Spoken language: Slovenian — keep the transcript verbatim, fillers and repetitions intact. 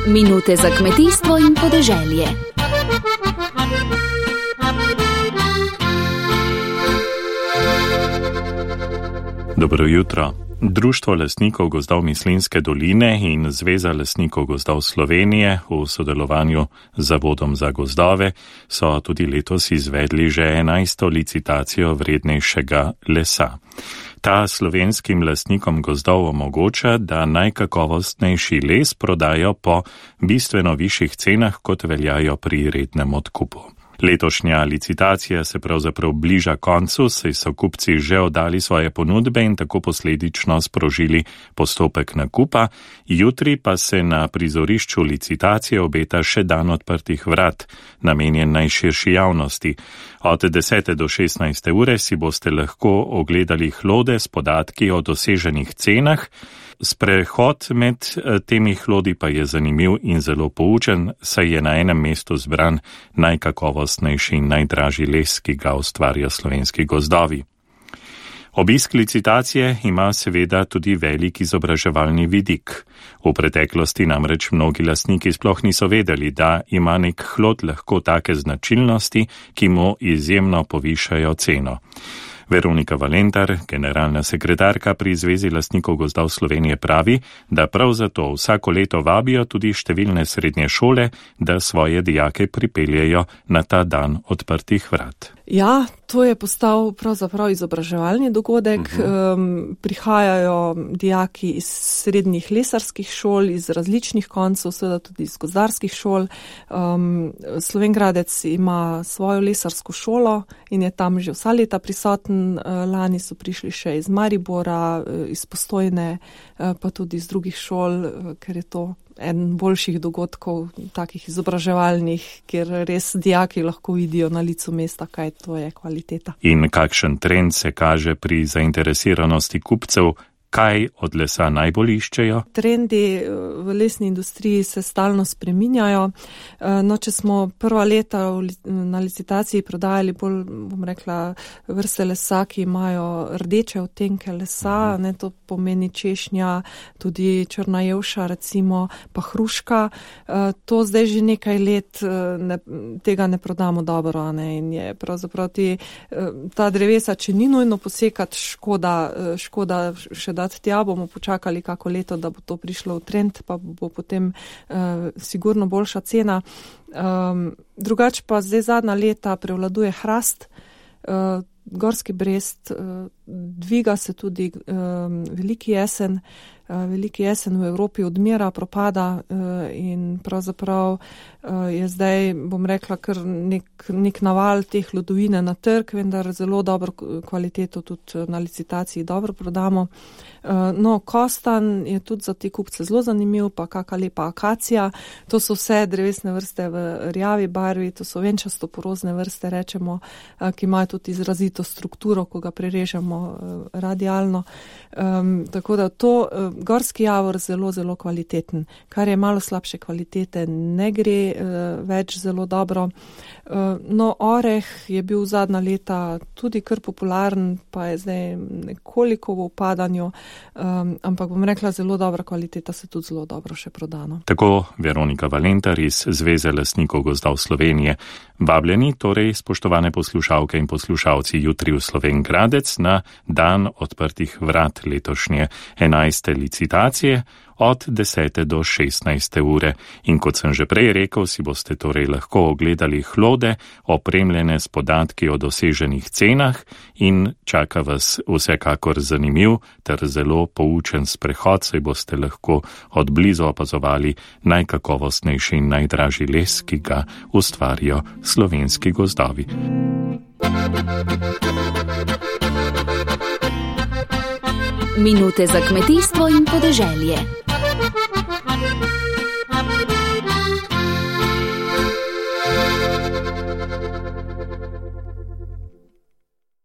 Minute za kmetijstvo in podeželje. Dobro jutro. Društvo lastnikov gozdov Mislinjske doline in Zveza lastnikov gozdov Slovenije v sodelovanju z Zavodom za gozdove so tudi letos izvedli že enajsto licitacijo vrednejšega lesa. Ta slovenskim lastnikom gozdov omogoča, da najkakovostnejši les prodajo po bistveno višjih cenah, kot veljajo pri rednem odkupu. Letošnja licitacija se pravzaprav bliža koncu, saj so kupci že oddali svoje ponudbe in tako posledično sprožili postopek nakupa. Jutri pa se na prizorišču licitacije obeta še dan odprtih vrat, namenjen najširši javnosti. Od desete do šestnajste ure si boste lahko ogledali hlode s podatki o doseženih cenah. Sprehod med temi hlodi pa je zanimiv in zelo poučen, saj je na enem mestu zbran najkakovostnejši in najdražji les, ki ga ustvarja slovenski gozdovi. Obisk licitacije ima seveda tudi velik izobraževalni vidik. V preteklosti namreč mnogi lastniki sploh niso vedeli, da ima nek hlod lahko take značilnosti, ki mu izjemno povišajo ceno. Veronika Valentar, generalna sekretarka pri Zvezi lastnikov gozdov Slovenije, pravi, da prav zato vsako leto vabijo tudi številne srednje šole, da svoje dijake pripeljejo na ta dan odprtih vrat. Ja, to je postal pravzaprav izobraževalni dogodek. Uh-huh. Um, prihajajo dijaki iz srednjih lesarskih šol, iz različnih koncev, seveda tudi iz gozdarskih šol. Um, Slovenj Gradec ima svojo lesarsko šolo in je tam že vsa leta prisoten. Lani so prišli še iz Maribora, iz Postojne, pa tudi iz drugih šol, ker je to en boljših dogodkov, takih izobraževalnih, kjer res dijaki lahko vidijo na licu mesta, kaj to je kvaliteta. In kakšen trend se kaže pri zainteresiranosti kupcev? Kaj od lesa najbolj iščejo? Trendi v lesni industriji se stalno spreminjajo. No, če smo prva leta na licitaciji prodajali bolj, bom rekla, vrste lesa, ki imajo rdeče odtenke lesa, ne, to pomeni češnja, tudi črna jevša, recimo, pa hruška. To zdaj že nekaj let ne, tega ne prodamo dobro, ne, in je pravzaprav ti, ta drevesa, če ni nujno posekati, škoda, škoda še da tja, bomo počakali kako leto, da bo to prišlo v trend, pa bo potem uh, sigurno boljša cena. Um, drugače pa zdaj zadnja leta prevladuje hrast, uh, gorski brest, uh, dviga se tudi um, veliki jesen, uh, veliki jesen v Evropi odmira, propada uh, in pravzaprav uh, je zdaj, bom rekla, kar nek, nek naval teh hlodovine na trg, vendar zelo dobro kvaliteto tudi na licitaciji dobro prodamo. No, kostan je tudi za te kupce zelo zanimiv, pa kaka lepa akacija. To so vse drevesne vrste v rjavi barvi, to so venčasto porozne vrste, rečemo, ki imajo tudi izrazito strukturo, ko ga prerežemo radialno. Um, tako da to gorski javor zelo, zelo kvaliteten. Kar je malo slabše kvalitete, ne gre uh, več zelo dobro. Uh, no, oreh je bil zadnja leta tudi kar popularen, pa je zdaj nekoliko v upadanju. Um, ampak bom rekla, zelo dobra kvaliteta se tudi zelo dobro še prodano. Tako Veronika Valentar iz Zveze lastnikov gozdov Slovenije. Vabljeni torej, spoštovane poslušalke in poslušalci, jutri v Slovenj Gradec na dan odprtih vrat letošnje enajste licitacije od desete do šestnajste ure. In kot sem že prej rekel, si boste torej lahko ogledali hlode, opremljene s podatki o doseženih cenah, in čaka vas vsekakor zanimiv ter zelo poučen sprehod, saj boste lahko od blizu opazovali najkakovostnejši in najdražji les, ki ga ustvarijo slovenski gozdovi. Minute za kmetijstvo in podeželje.